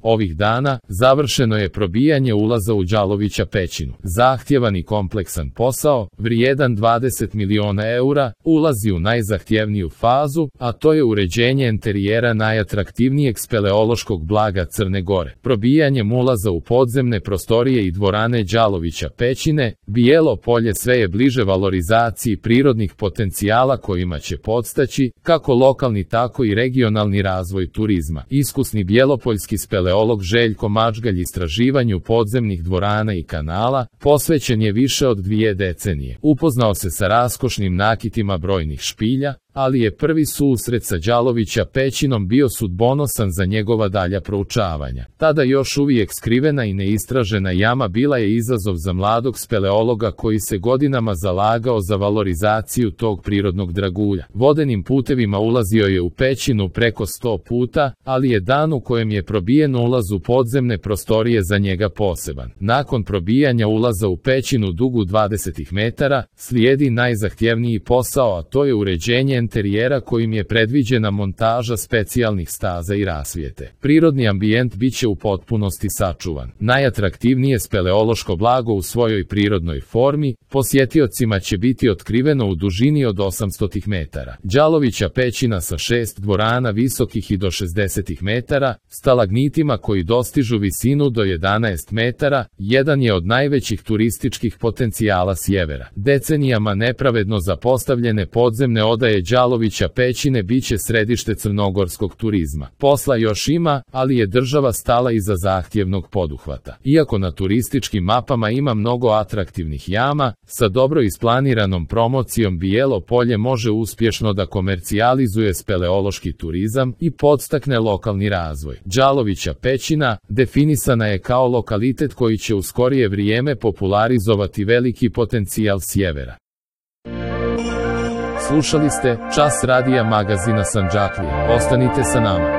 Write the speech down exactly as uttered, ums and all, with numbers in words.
Ovih dana završeno je probijanje ulaza u Đalovića pećinu. Zahtjevan i kompleksan posao, vrijedan dvadeset miliona eura, ulazi u najzahtjevniju fazu, a to je uređenje enterijera najatraktivnijeg speleološkog blaga Crne Gore. Probijanjem ulaza u podzemne prostorije i dvorane Đalovića pećine, Bijelo Polje sve je bliže valorizaciji prirodnih potencijala kojima će podstaći kako lokalni tako i regionalni razvoj turizma. Iskusni bjelopoljski speleolog Željko Mačgalj istraživanju podzemnih dvorana i kanala posvećen je više od dvije decenije. Upoznao se sa raskošnim nakitima brojnih špilja, ali je prvi susret sa Đalovića pećinom bio sudbonosan za njegova dalja proučavanja. Tada još uvijek skrivena i neistražena jama bila je izazov za mladog speleologa koji se godinama zalagao za valorizaciju tog prirodnog dragulja. Vodenim putevima ulazio je u pećinu preko sto puta, ali je dan u kojem je probijen ulaz u podzemne prostorije za njega poseban. Nakon probijanja ulaza u pećinu dugu dvadeset metara, slijedi najzahtjevniji posao, a to je uređenje enterijera kojim je predviđena montaža specijalnih staza i rasvjete. Prirodni ambijent biće u potpunosti sačuvan. Najatraktivnije speleološko blago u svojoj prirodnoj formi posjetiocima će biti otkriveno u dužini od osamsto metara. Đalovića pećina sa šest dvorana visokih i do šezdeset metara, stalagnitima koji dostižu visinu do jedanaest metara, jedan je od najvećih turističkih potencijala sjevera. Decenijama nepravedno zapostavljene podzemne odaje Đalovića pećine biće središte crnogorskog turizma. Posla još ima, ali je država stala iza zahtjevnog poduhvata. Iako na turističkim mapama ima mnogo atraktivnih jama, sa dobro isplaniranom promocijom Bijelo Polje može uspješno da komercijalizuje speleološki turizam i podstakne lokalni razvoj. Đalovića pećina definisana je kao lokalitet koji će u skorije vrijeme popularizovati veliki potencijal sjevera. Slušali ste Čas radija magazina Sandžaklija. Ostanite sa nama.